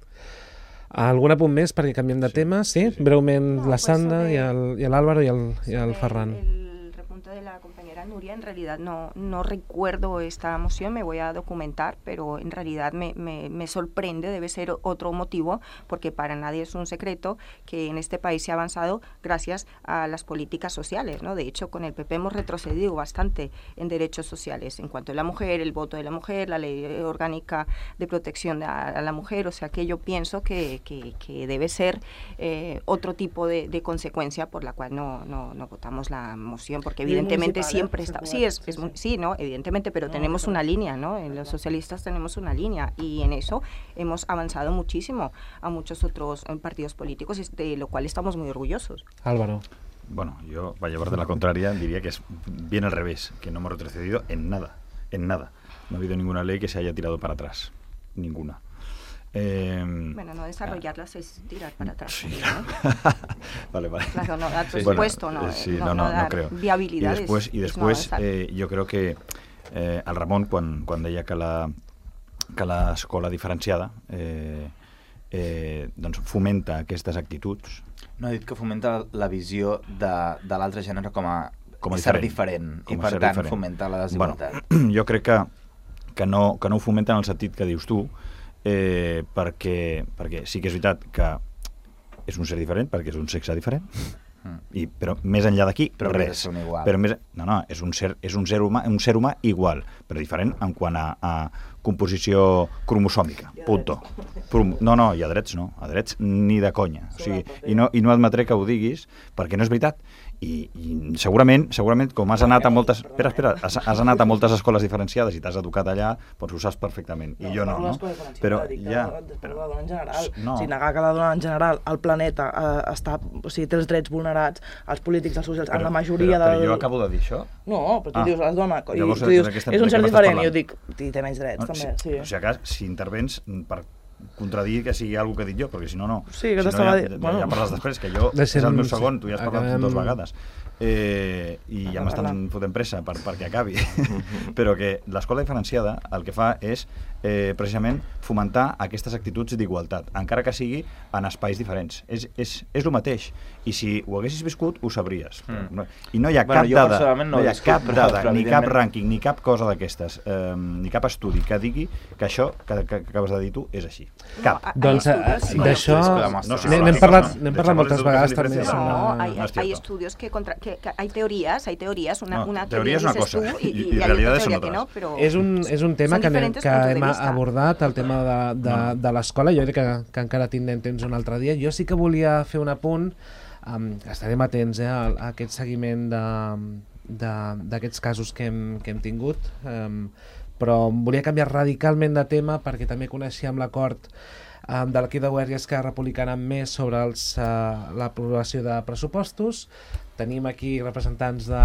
Algun apunt més perquè canviem de sí, tema? Sí? sí, sí. Breument no, la Sandra pues y l'Álvaro y, y el Ferran. El, el repunte de la compañera Nuria, en realidad no, no recuerdo esta moción, me voy a documentar, pero en realidad me, me, me sorprende, debe ser otro motivo, porque para nadie es un secreto que en este país se ha avanzado gracias a las políticas sociales, ¿no? De hecho, con el P P hemos retrocedido bastante en derechos sociales, en cuanto a la mujer, el voto de la mujer, la ley orgánica de protección a, a la mujer, o sea que yo pienso que, que, que debe ser eh, otro tipo de, de consecuencia por la cual no, no, no votamos la moción, porque evidentemente siempre está, sí, es, es, sí, ¿no? Evidentemente, pero no, tenemos pero... una línea, ¿no? En los socialistas tenemos una línea y en eso hemos avanzado muchísimo a muchos otros partidos políticos, de lo cual estamos muy orgullosos. Álvaro. Bueno, yo, para llevarte la contraria, diría que es bien al revés, que no hemos retrocedido en nada, en nada. No ha habido ninguna ley que se haya tirado para atrás, ninguna. Eh, bueno, no desarrollarlas ah, es tirar para atrás. Sí, ¿no? vale, vale. Claro, no dar presupuesto, bueno, no, sí, no, no, no, no dar no creo. viabilidades. I després, i després no, eh, jo crec que eh, el Ramon, quan, quan deia que la que l'escola diferenciada eh, eh, doncs fomenta aquestes actituds. No, he dit que fomenta la visió de, de l'altre gènere com a, com a ser diferent, diferent i per tant diferent. Fomenta la desigualtat. Bueno, jo crec que, que, no, que no ho fomenta en el sentit que dius tu, eh, perquè, perquè sí que és veritat que és un ser diferent, perquè és un sexe diferent, mm. i, però més enllà d'aquí, res. Però més, no, no, és un ser, és un ser humà, un ser humà igual, però diferent en quant a, a composició cromosòmica, punto. No, no, i a drets no, a drets ni de conya. O sigui, i, no, i no admetré que ho diguis, perquè no és veritat. I, i segurament, segurament, com has anat a moltes... Espera, espera, has, has anat a moltes escoles diferenciades i t'has educat allà, doncs ho saps perfectament. I jo no, no? Però ja... Però la dona en general. No. O sigui, negar que la dona en general, el planeta, eh, està, o sigui, té els drets vulnerats, els polítics, els socials, en la majoria però, del... Però jo acabo de dir això? No, però tu ah. dius, les dones, i llavors, tu dius, és un ser diferent, i jo dic, té menys drets, no, també. Si, sí. O sigui, cas, si intervens per contradir que sigui alguna que he dit jo, perquè si no, no. Sí, que si t'estava no, ja, dient. Ja, ja parles després, que jo és el meu segon, tu ja has parlat dues vegades. Eh, i ja m'estan fotent pressa per, perquè acabi. Però que l'escola diferenciada el que fa és eh, precisament fomentar aquestes actituds d'igualtat, encara que sigui en espais diferents. És, és, és el mateix. I si ho haguessis viscut, ho sabries. Mm. I no hi ha bueno, cap dada, no, no hi ha viscut, cap però, dada, però, ni cap rànquing, ni cap cosa d'aquestes, eh, ni cap estudi que digui que això que, que, que acabes de dir tu és així. Cap. No, doncs d'això no, n'hem parlat, n'hem parlat moltes vegades també. No, hay, hay estudios que, contra, que, que hay teorías, hay teorías, una, no, una teoría que es una dices cosa tú y, y, y, y y hay realidades otra son teoria otras. que no, però És un, és un tema que, anem, que hem abordat, el tema de, de, No. de l'escola. Jo crec que, que encara tindrem temps un altre dia. Jo sí que volia fer un apunt, um, estarem atents eh, a, a aquest seguiment d'aquests casos que hem, que hem tingut, um, però volia canviar radicalment de tema perquè també coneixíem l'acord um, de l'equip de govern i Esquerra Republicana més sobre els, uh, l'aprovació de pressupostos. Tenim aquí representants de,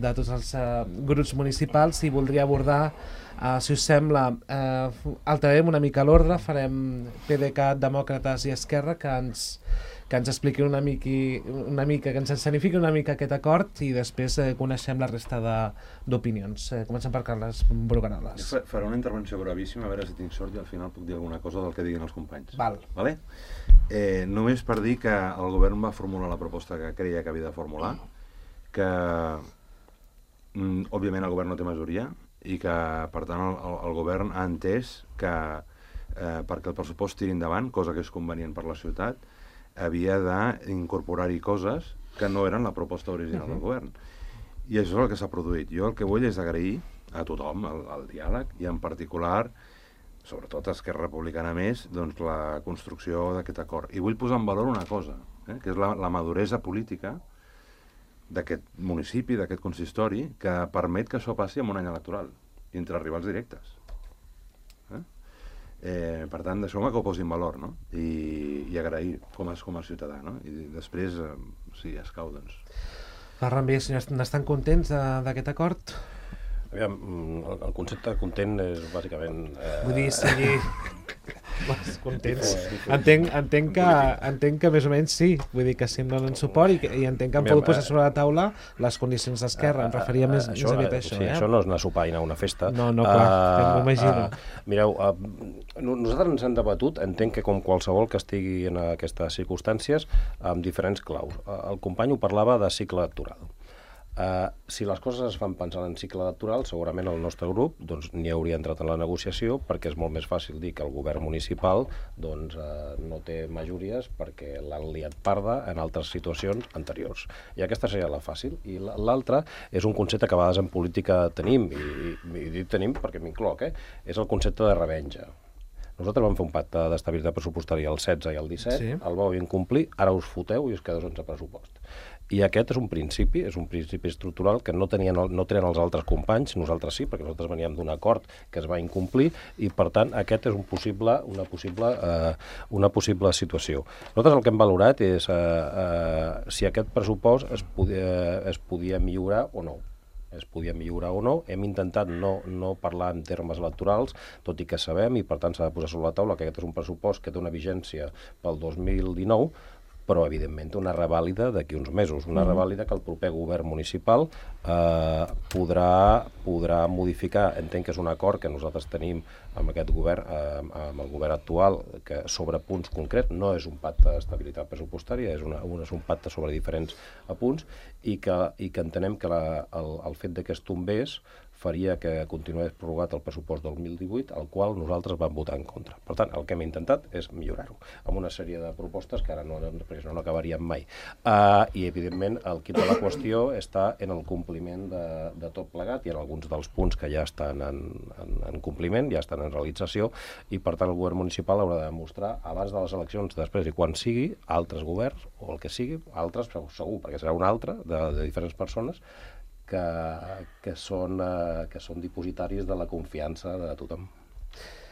de tots els uh, grups municipals i voldria abordar, uh, si us sembla, uh, alterarem una mica l'ordre, farem PDeCAT, Demòcrates i Esquerra, que ens, que ens expliqui una, miqui, una mica, que ens escenifiqui una mica aquest acord i després eh, coneixem la resta d'opinions. Eh, comencem per Carles Brugaroles. Jo faré una intervenció brevíssima, a veure si tinc sort i al final puc dir alguna cosa del que diguin els companys. Val. Vale? Eh, només per dir que el govern va formular la proposta que creia que havia de formular, que mm, òbviament el govern no té majoria i que per tant el, el, el govern ha entès que eh, perquè el pressupost tiri endavant, cosa que és convenient per la ciutat, havia d'incorporar-hi coses que no eren la proposta original uh-huh. del govern. I això és el que s'ha produït. Jo el que vull és agrair a tothom el, el diàleg i en particular, sobretot a Esquerra Republicana més, doncs la construcció d'aquest acord. I vull posar en valor una cosa, eh, que és la, la maduresa política d'aquest municipi, d'aquest consistori, que permet que això passi en un any electoral, entre rivals directes. Eh? Eh, per tant, deixeu-me que ho posi en valor, no? I, i agrair com a, com a ciutadà, no? I després, eh, si escau, doncs... Ferran Vies, n'estan contents d'aquest acord? Aviam, el, el concepte content és bàsicament... Eh... Vull dir, sigui... contents. Entenc, entenc, que, entenc que més o menys sí, vull dir que sí em donen suport i, que, i entenc que han pogut posar sobre la taula les condicions d'Esquerra, em referia més, això, més aviat a això. Sí, eh? això no és anar a sopar i anar a una festa. No, no, clar, uh, m'ho imagino. Uh, mireu, uh, nosaltres ens hem debatut, entenc que com qualsevol que estigui en aquestes circumstàncies, amb diferents claus. Uh, el company ho parlava de cicle electoral. Uh, si les coses es fan pensant en cicle electoral, segurament el nostre grup doncs, n'hi hauria entrat en la negociació perquè és molt més fàcil dir que el govern municipal doncs, uh, no té majories perquè l'han liat parda en altres situacions anteriors. I aquesta seria la fàcil. I l'altra és un concepte que a vegades en política tenim, i, i dic tenim perquè m'incloc, eh? És el concepte de revenja. Nosaltres vam fer un pacte d'estabilitat pressupostària el setze i el disset, sí. El vau incomplir, ara us foteu i us quedeu sense pressupost. I aquest és un principi, és un principi estructural que no tenien, no tenen els altres companys, nosaltres sí, perquè nosaltres veníem d'un acord que es va incomplir i, per tant, aquest és un possible, una, possible, eh, una possible situació. Nosaltres el que hem valorat és eh, eh, si aquest pressupost es podia, es podia millorar o no. es podia millorar o no. Hem intentat no, no parlar en termes electorals, tot i que sabem, i per tant s'ha de posar sobre la taula, que aquest és un pressupost que té una vigència pel dos mil dinou, però evidentment té una revàlida d'aquí uns mesos, una mm. revàlida que el proper govern municipal eh, podrà, podrà modificar. Entenc que és un acord que nosaltres tenim amb aquest govern, eh, amb el govern actual, que sobre punts concrets, no és un pacte d'estabilitat pressupostària, és, una, un, és un pacte sobre diferents punts, i que, i que entenem que la, el, el fet de que es tombés faria que continués prorrogat el pressupost del dos mil divuit, al qual nosaltres vam votar en contra. Per tant, el que hem intentat és millorar-ho, amb una sèrie de propostes que ara no, no, no acabaríem mai. Uh, I, evidentment, el quid de la qüestió està en el compliment de, de tot plegat, i en alguns dels punts que ja estan en, en, en compliment, ja estan en realització, i, per tant, el govern municipal haurà de demostrar, abans de les eleccions, després i quan sigui, altres governs, o el que sigui, altres, segur, perquè serà un altre, de, de diferents persones, que, que, són, eh, que són dipositaris de la confiança de tothom.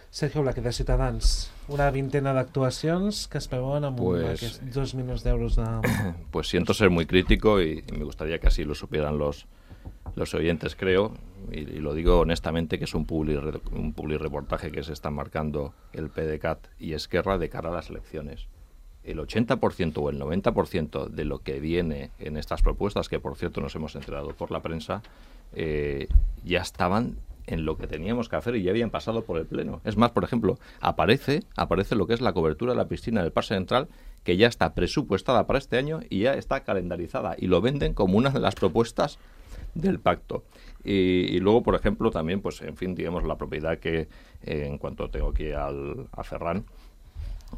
Sergio Blaque, de Ciutadans, una vintena d'actuacions que es preveuen amb pues, aquests dos milions d'euros de... Pues siento ser muy crítico y, y me gustaría que así lo supieran los, los oyentes, creo, y, y lo digo honestamente, que es un publi, un publi reportaje que se está marcando el PDeCAT y Esquerra de cara a las elecciones. El ochenta por ciento o el noventa por ciento de lo que viene en estas propuestas, que por cierto nos hemos enterado por la prensa, eh, ya estaban en lo que teníamos que hacer y ya habían pasado por el Pleno. Es más, por ejemplo, aparece, aparece lo que es la cobertura de la piscina del Parque Central, que ya está presupuestada para este año y ya está calendarizada, y lo venden como una de las propuestas del pacto. Y, y luego, por ejemplo, también, pues en fin, digamos, la propiedad que, eh, en cuanto tengo aquí al, a Ferran,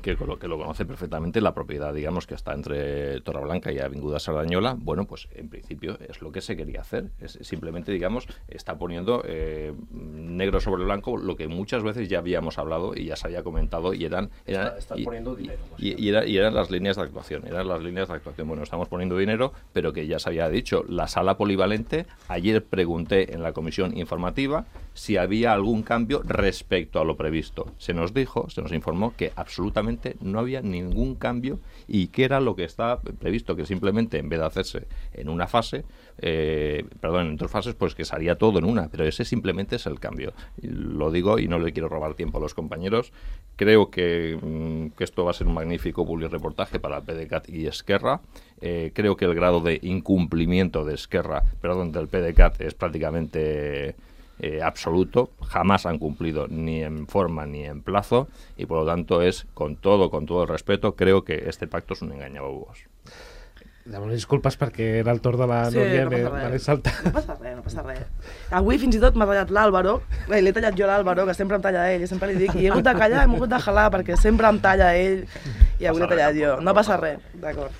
que lo, que lo conoce perfectamente, la propiedad, digamos, que está entre Torreblanca y Avinguda Sardañola, bueno, pues en principio es lo que se quería hacer. Es simplemente, digamos, está poniendo eh, negro sobre blanco lo que muchas veces ya habíamos hablado y ya se había comentado y eran... eran está, estás y, poniendo dinero. Y, y, era, y eran las líneas de actuación, eran las líneas de actuación. Bueno, estamos poniendo dinero, pero que ya se había dicho, la sala polivalente, ayer pregunté en la comisión informativa si había algún cambio respecto a lo previsto. Se nos dijo, se nos informó que absolutamente no había ningún cambio y que era lo que estaba previsto, que simplemente en vez de hacerse en una fase, eh, perdón, en dos fases, pues que se haría todo en una, pero ese simplemente es el cambio. Lo digo y no le quiero robar tiempo a los compañeros. Creo que, mmm, que esto va a ser un magnífico publireportaje para el PDeCAT y Esquerra. Eh, creo que el grado de incumplimiento de Esquerra, perdón, del PDeCAT es prácticamente... Eh, absoluto, jamás han cumplido ni en forma ni en plazo y por lo tanto es, con todo, con todo el respeto, creo que este pacto és un enganyabobos. Demano disculpes perquè era el torn de la sí, Núria, no me l'he saltat. No passa res, no passa res. Avui fins i tot m'ha tallat l'Àlvaro, l'he tallat jo l'Àlvaro, que sempre em talla ell, i sempre li dic, i he hagut de callar, hem hagut de jalar, perquè sempre em talla ell, i avui l'he tallat jo. No passa res, d'acord.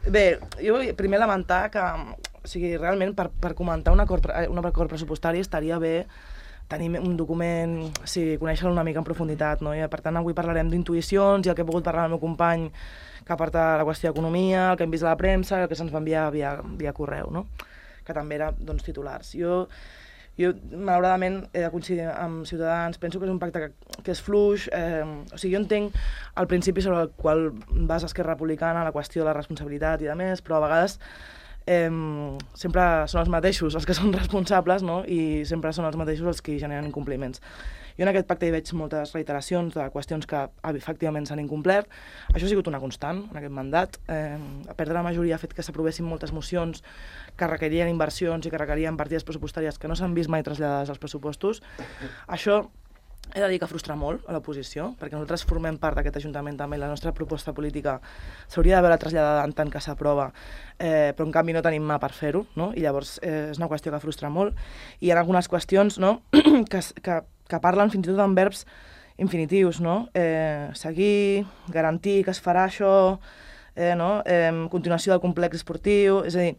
Bé, jo vull primer lamentar que, o sigui, realment per, per comentar un acord, un acord pressupostari estaria bé tenir un document, o sigui, conèixer-lo una mica en profunditat, no? I per tant avui parlarem d'intuïcions i el que he pogut parlar amb el meu company que porta la qüestió d'economia, el que hem vist a la premsa, el que se'ns va enviar via, via correu, no? Que també era, doncs, titulars. Jo, jo, malauradament, he de coincidir amb Ciutadans, penso que és un pacte que, que és fluix, eh, o sigui, jo entenc el principi sobre el qual vas a Esquerra Republicana, la qüestió de la responsabilitat i de més, però a vegades eh, sempre són els mateixos els que són responsables, no? I sempre són els mateixos els que generen incompliments. Jo en aquest pacte hi veig moltes reiteracions de qüestions que efectivament s'han incomplert. Això ha sigut una constant en aquest mandat. Eh, perdre la majoria ha fet que s'aprovessin moltes mocions que requerien inversions i que requerien partides pressupostàries que no s'han vist mai traslladades als pressupostos. Això he de dir que frustra molt a l'oposició, perquè nosaltres formem part d'aquest Ajuntament també, la nostra proposta política s'hauria d'haver traslladada en tant que s'aprova, eh, però en canvi no tenim mà per fer-ho, no? I llavors eh, és una qüestió que frustra molt. I hi ha algunes qüestions, no? que, que, que parlen fins i tot en verbs infinitius, no? Eh, seguir, garantir que es farà això, eh, no? eh, continuació del complex esportiu, és a dir,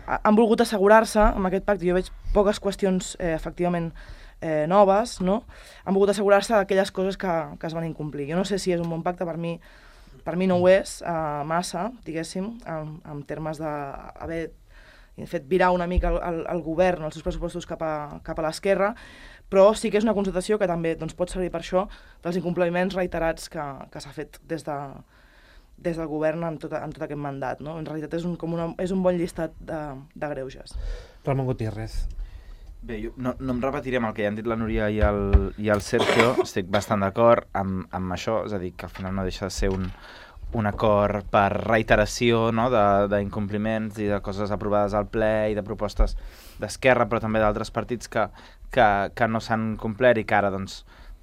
han volgut assegurar-se amb aquest pacte, jo veig poques qüestions eh, efectivament eh, noves, no? Han volgut assegurar-se d'aquelles coses que, que es van incomplir. Jo no sé si és un bon pacte, per mi, per mi no ho és, eh, massa, diguéssim, en, en termes d'haver fet virar una mica el, el, el govern, els seus pressupostos cap a, cap a l'esquerra, però sí que és una constatació que també doncs, pot servir per això dels incompliments reiterats que, que s'ha fet des, de, des del govern en tot, en tot aquest mandat. No? En realitat és un, com una, és un bon llistat de, de greuges. Ramon Gutiérrez. Bé, jo no, no em repetiré amb el que ja han dit la Núria i el, i el Sergio, estic bastant d'acord amb, amb això, és a dir, que al final no deixa de ser un, un acord per reiteració, no?, d'incompliments i de coses aprovades al ple i de propostes d'Esquerra, però també d'altres partits que, que, que no s'han complert i que ara doncs,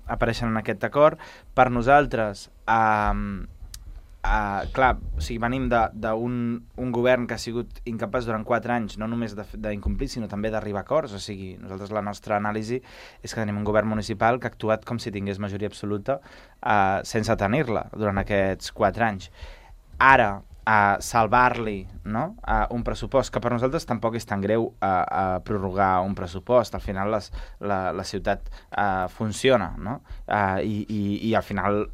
apareixen en aquest acord. Per nosaltres, eh, Uh, clar, o sigui, venim d'un un govern que ha sigut incapaç durant quatre anys no només d'incomplir, sinó també d'arribar a acords. O sigui, nosaltres la nostra anàlisi és que tenim un govern municipal que ha actuat com si tingués majoria absoluta uh, sense tenir-la durant aquests quatre anys. Ara, uh, salvar-li, no? uh, un pressupost, que per nosaltres tampoc és tan greu uh, uh, prorrogar un pressupost. Al final les, la, la ciutat uh, funciona, no? Uh, i, i, i al final...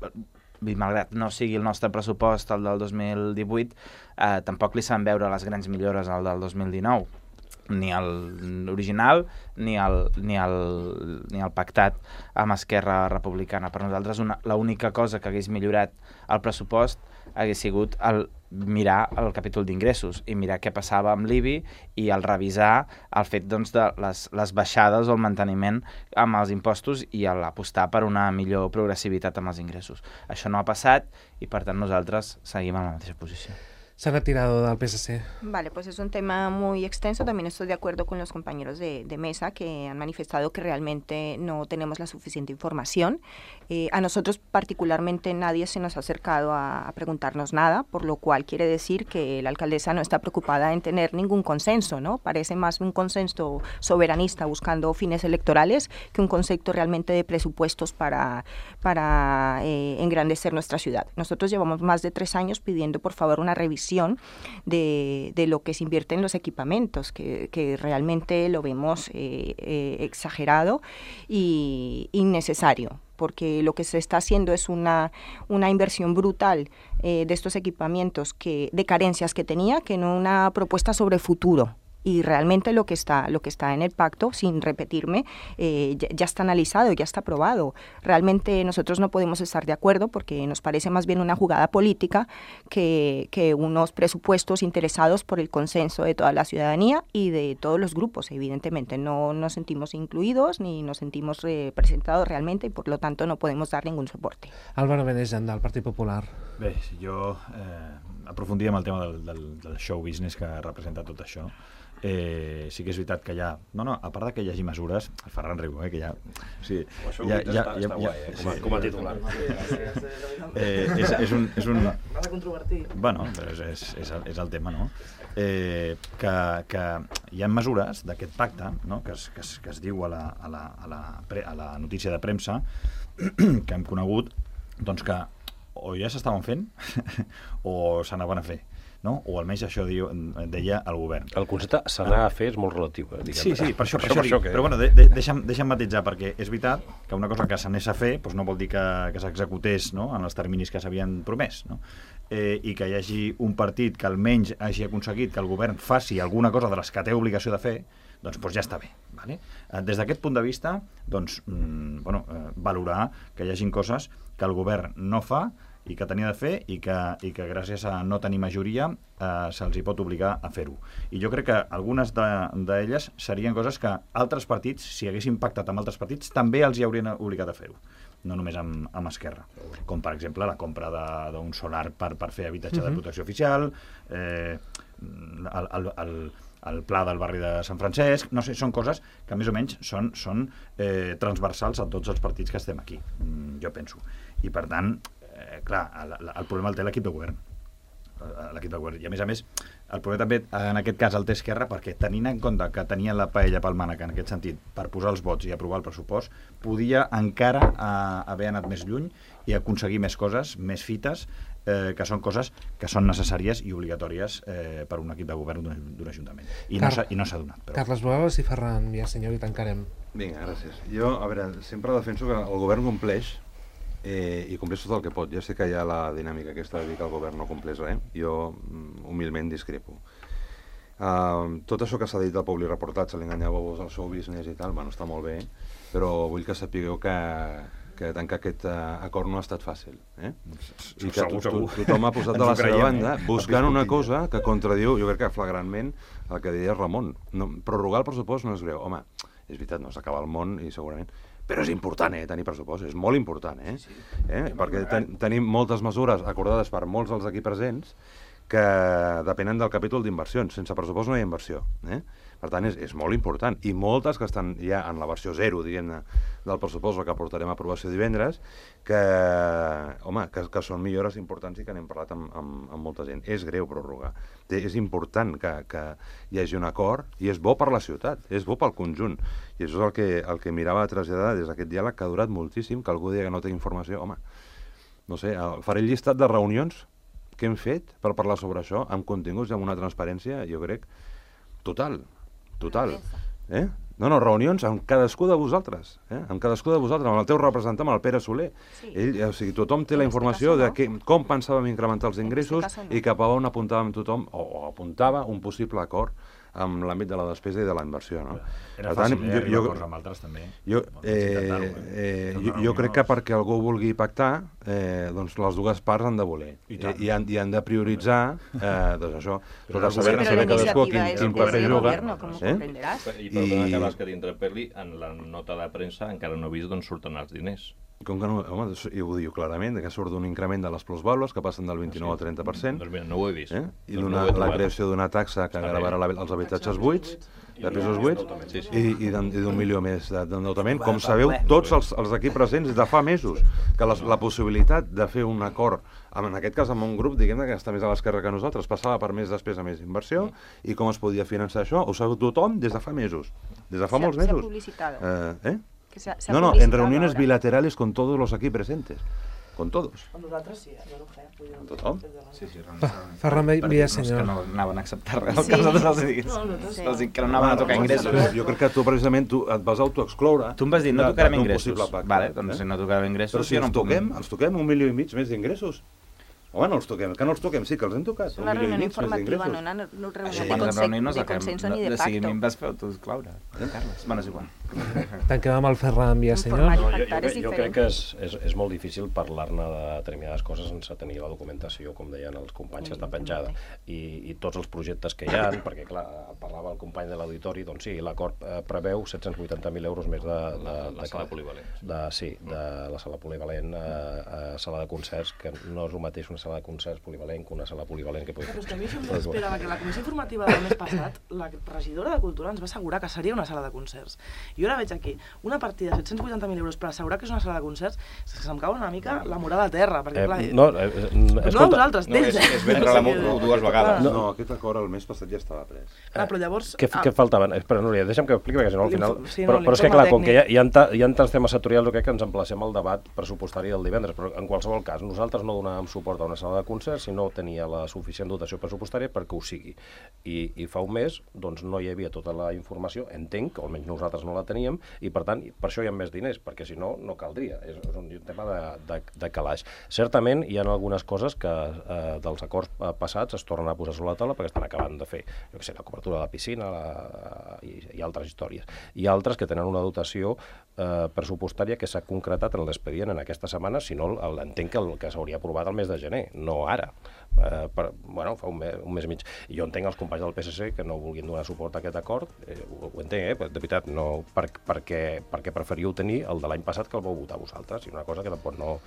malgrat no sigui el nostre pressupost el del dos mil divuit, eh, tampoc li s'han veure les grans millores al del dos mil dinou, ni l'original ni el, ni, el, ni el pactat amb Esquerra Republicana. Per nosaltres l'única cosa que hagués millorat el pressupost hagués sigut el mirar el capítol d'ingressos i mirar què passava amb l'I B I i el revisar el fet doncs, de les, les baixades o el manteniment amb els impostos i l'apostar per una millor progressivitat amb els ingressos. Això no ha passat i per tant nosaltres seguim en la mateixa posició. se ha retirado del P S C. Vale, pues es un tema muy extenso. También estoy de acuerdo con los compañeros de, de mesa que han manifestado que realmente no tenemos la suficiente información. Eh, a nosotros particularmente nadie se nos ha acercado a, a preguntarnos nada, por lo cual quiere decir que la alcaldesa no está preocupada en tener ningún consenso, ¿no? Parece más un consenso soberanista buscando fines electorales que un concepto realmente de presupuestos para, para eh, engrandecer nuestra ciudad. Nosotros llevamos más de tres años pidiendo por favor una revisión De, de lo que se invierte en los equipamientos, que, que realmente lo vemos eh, eh, exagerado y innecesario, porque lo que se está haciendo es una, una inversión brutal eh, de estos equipamientos, que, de carencias que tenía, que no una propuesta sobre futuro. Y realmente lo que está lo que está en el pacto, sin repetirme, eh, ya, ya está analizado, ya está aprobado. Realmente nosotros no podemos estar de acuerdo porque nos parece más bien una jugada política que, que unos presupuestos interesados por el consenso de toda la ciudadanía y de todos los grupos. Evidentemente no nos sentimos incluidos ni nos sentimos representados realmente y por lo tanto no podemos dar ningún soporte. Álvaro Benejan, del Partit Popular. Bé, jo eh, aprofundiria en el tema del, del, del show business que representa tot això. Eh, sí que és veritat que hi ha... No, no, a part de que hi hagi mesures... El Ferran riu, eh, que hi ha... Sí, això hi ha, hi ha, està, hi ha, està guai, eh, com a, sí, com a titular. Eh, és, és un... És un M'ha de controvertir. Bueno, però és, és, és, el, és el tema, no? Eh, que, que hi ha mesures d'aquest pacte, no? que, es, que, es, que es diu a la, a, la, a, la, a la notícia de premsa que hem conegut, doncs que o ja s'estaven fent o s'anaven a fer. No? O almenys això diu, deia el govern. El concepte s'anar a fer és molt relatiu. Eh, sí, sí, per això, per això, per això dic. Que... Però bueno, de, de, deixa'm, deixa'm matitzar, perquè és veritat que una cosa que s'anés a fer doncs no vol dir que, que s'executés, no?, en els terminis que s'havien promès, no? Eh, i que hi hagi un partit que almenys hagi aconseguit que el govern faci alguna cosa de les que té obligació de fer, doncs, doncs ja està bé. Vale? Eh, des d'aquest punt de vista, doncs, mm, bueno, eh, valorar que hi hagin coses que el govern no fa i que tenia de fer i que, i que gràcies a no tenir majoria eh, se'ls hi pot obligar a fer-ho. I jo crec que algunes d'elles de, serien coses que altres partits, si haguessin pactat amb altres partits, també els hi haurien obligat a fer-ho, no només amb, amb Esquerra. Com, per exemple, la compra d'un solar per, per fer habitatge uh-huh. de protecció oficial, eh, el, el, el, el pla del barri de Sant Francesc, no sé, són coses que més o menys són, són eh, transversals a tots els partits que estem aquí, jo penso. I per tant, Eh, clar, el, el problema el té l'equip de govern. L'equip de govern. I a més a més, el problema també, en aquest cas, el té Esquerra, perquè tenint en compte que tenien la paella pel mànec en aquest sentit, per posar els vots i aprovar el pressupost, podia encara eh, haver anat més lluny i aconseguir més coses, més fites, eh, que són coses que són necessàries i obligatòries eh, per un equip de govern d'un ajuntament. I Car no s'ha donat. Però... Carles Boeves i Ferran, ja senyor, i tancarem. Vinga, gràcies. Jo, a veure, sempre defenso que el govern compleix Eh, i compleix tot el que pot. Ja sé que hi ha la dinàmica aquesta de dir que el govern no compleix res. Jo humilment discrepo. Uh, tot això que s'ha dit del public reportatge, l'enganyeu-vos al show business i tal, bueno, està molt bé, però vull que sapigueu que, que tancar aquest uh, acord no ha estat fàcil. Eh? I que to to tothom ha posat de la seva banda buscant una cosa que contradiu, jo crec que flagrantment, el que deia Ramon. No, prorrogar el pressupost no és greu. Home, és veritat, no s'acaba el món i segurament... Però és important, eh, tenir pressupost, és molt important, eh? Sí, sí. eh? Perquè ten tenim moltes mesures acordades per molts dels aquí presents que depenen del capítol d'inversions. Sense pressupost no hi ha inversió, eh? Per tant, és, és molt important. I moltes que estan ja en la versió zero, diguem-ne, del pressupost, el que portarem a aprovació divendres, que, home, que, que són millores importants i que n'hem parlat amb, amb, amb molta gent. És greu prorrogar. És important que, que hi hagi un acord i és bo per la ciutat, és bo pel conjunt. I això és el que, el que mirava a traslladar des d'aquest diàleg que ha durat moltíssim, que algú dia que no té informació, home, no sé, faré el llistat de reunions que hem fet per parlar sobre això, amb continguts i amb una transparència, jo crec, total, total. Eh? No, no, reunions amb cadascú de vosaltres, eh? amb cadascú de vosaltres, amb el teu representant, amb el Pere Soler. Sí. Ell, o sigui, tothom té la informació de que, com pensàvem incrementar els ingressos i cap a on apuntàvem tothom, o, o apuntava un possible acord amb l'àmbit de la despesa i de la inversió, no? Era fàcil, tant, eh, jo, jo, amb altres també. Jo, eh, eh, jo, jo crec que perquè algú vulgui pactar, eh, doncs les dues parts han de voler. I, eh, i, han, i han de prioritzar, eh, doncs això, tot a saber, saber cadascú quin, quin paper juga. Eh? I perdona que vas que t'interpel·li, en la nota de premsa encara no he vist d'on surten els diners. Com que no, home, i ho diu clarament, que surt d'un increment de les plusvàlues que passen del vint-i-nou al trenta per cent. Doncs mira, no ho he vist. Eh? I doncs una, no la creació d'una taxa que gravarà la, els habitatges buits, de pisos buits, sí, sí. i, i d'un milió més d'endeutament. Com sabeu, tots els, els d'aquí presents de fa mesos, que les, la possibilitat de fer un acord, en aquest cas amb un grup, diguem que està més a l'esquerra que nosaltres, passava per més despesa, més inversió, i com es podia finançar això, ho sabeu tothom des de fa mesos, des de fa molts mesos. Se ha publicitado. Eh? eh? Que se ha, se ha no, no, en reuniones ahora. bilaterales con todos los aquí presentes. Con todos. Amb nosaltres sí, jo no ho feia. Con tothom. Sí, sí, Ferran Villasenyor. Que no anaven a acceptar res, el que nosaltres els digués. No, nosaltres sí. Els dic que no anaven a tocar ingressos. Jo crec que tu, precisament, tu et vas autoexcloure. Tu em vas dir, no tocarem d'un ingressos. possible pacte, Vale, doncs eh? si no tocarem ingressos... Però si jo no ens em puc- toquem, ens toquem un milió i mig més d'ingressos. Home, no els toquem, que no els toquem, sí que els hem tocat. Es una un milió i reunión mig més informativa, no d'ingressos. una no reunión Això de, quan ens conse reunim no de saquem... consenso ni de O sigui, a mi em pacto. vas fer autoexclaure, Carles. Bueno, és igual. Tanquem amb el Ferran Villasenyor. Informar. No, jo, jo, pactar és crec- jo crec diferent. que és, és, és molt difícil parlar-ne de determinades coses sense tenir la documentació, com deien els companys, que està penjada. I, i tots els projectes que hi ha, perquè clar, parlava el company de l'auditori, doncs sí, l'acord eh, preveu set-cents vuitanta mil euros més de... de, La, la de sala polivalent. De, sí, de la sala polivalent a, a sala de concerts, que no és el mateix una sala de concerts polivalent que una sala polivalent que pugui... Però és que a mi això em esperava que la comissió informativa del mes passat, la regidora de Cultura ens va assegurar que seria una sala de concerts. I jo ara veig aquí una partida de set-cents vuitanta mil euros per assegurar que és una sala de concerts, és que se'm cau una mica la moral a terra, perquè clar... Eh, no, eh, eh, no de escolta, vosaltres, No, d'ells. és, és vendre la moto dues vegades. No, no, aquest acord el mes passat ja estava pres. Clar, però llavors... Què, ah, què faltaven? Espera, Núria, deixa'm que ho expliqui, perquè si no al final... L'info- sí, no, però, però és que, l'informe clar, com que hi ha, tècnic. hi ha, ta, hi ha tants temes sectorials, jo crec que ens emplacem al debat pressupostari del divendres, però en qualsevol cas, nosaltres no donàvem suport a una sala de concerts si no tenia la suficient dotació pressupostària perquè ho sigui. I, i fa un mes doncs, no hi havia tota la informació, entenc, o almenys nosaltres no la teníem, i per tant, per això hi ha més diners, perquè si no, no caldria. És, és un tema de, de, de calaix. Certament, hi ha algunes coses que eh, dels acords eh, passats es tornen a posar sobre la taula perquè estan acabant de fer, jo què sé, la cobertura de la piscina la, i, i altres històries. I altres que tenen una dotació eh, pressupostària que s'ha concretat en l'expedient en aquesta setmana, si no l'entenc que, el, que s'hauria aprovat el mes de gener, no ara. Eh, per, bueno, fa un mes, un mes i mig. I jo entenc els companys del P S C que no vulguin donar suport a aquest acord, eh, ho, ho entenc, eh, de veritat, no, per, perquè, perquè preferiu tenir el de l'any passat que el vau votar vosaltres, i una cosa que tampoc no,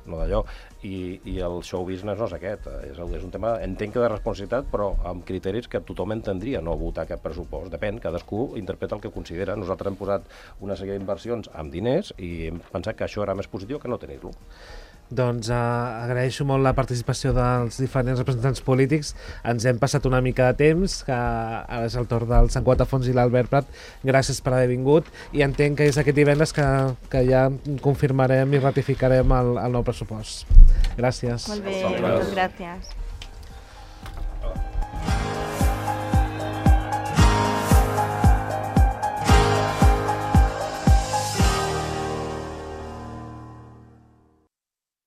no d'allò. I, I el show business no és aquest, és, és un tema, entenc que de responsabilitat, però amb criteris que tothom entendria no votar aquest pressupost. Depèn, cadascú interpreta el que considera. Nosaltres hem posat una sèrie d'inversions amb diners i hem pensat que això era més positiu que no tenir-lo. Doncs uh, agraeixo molt la participació dels diferents representants polítics. Ens hem passat una mica de temps, que ara és el torn del Sant Quatafons i l'Albert Prat. Gràcies per haver vingut i entenc que és aquest divendres que, que ja confirmarem i ratificarem el, el nou pressupost. Gràcies. Molt bé, moltes gràcies.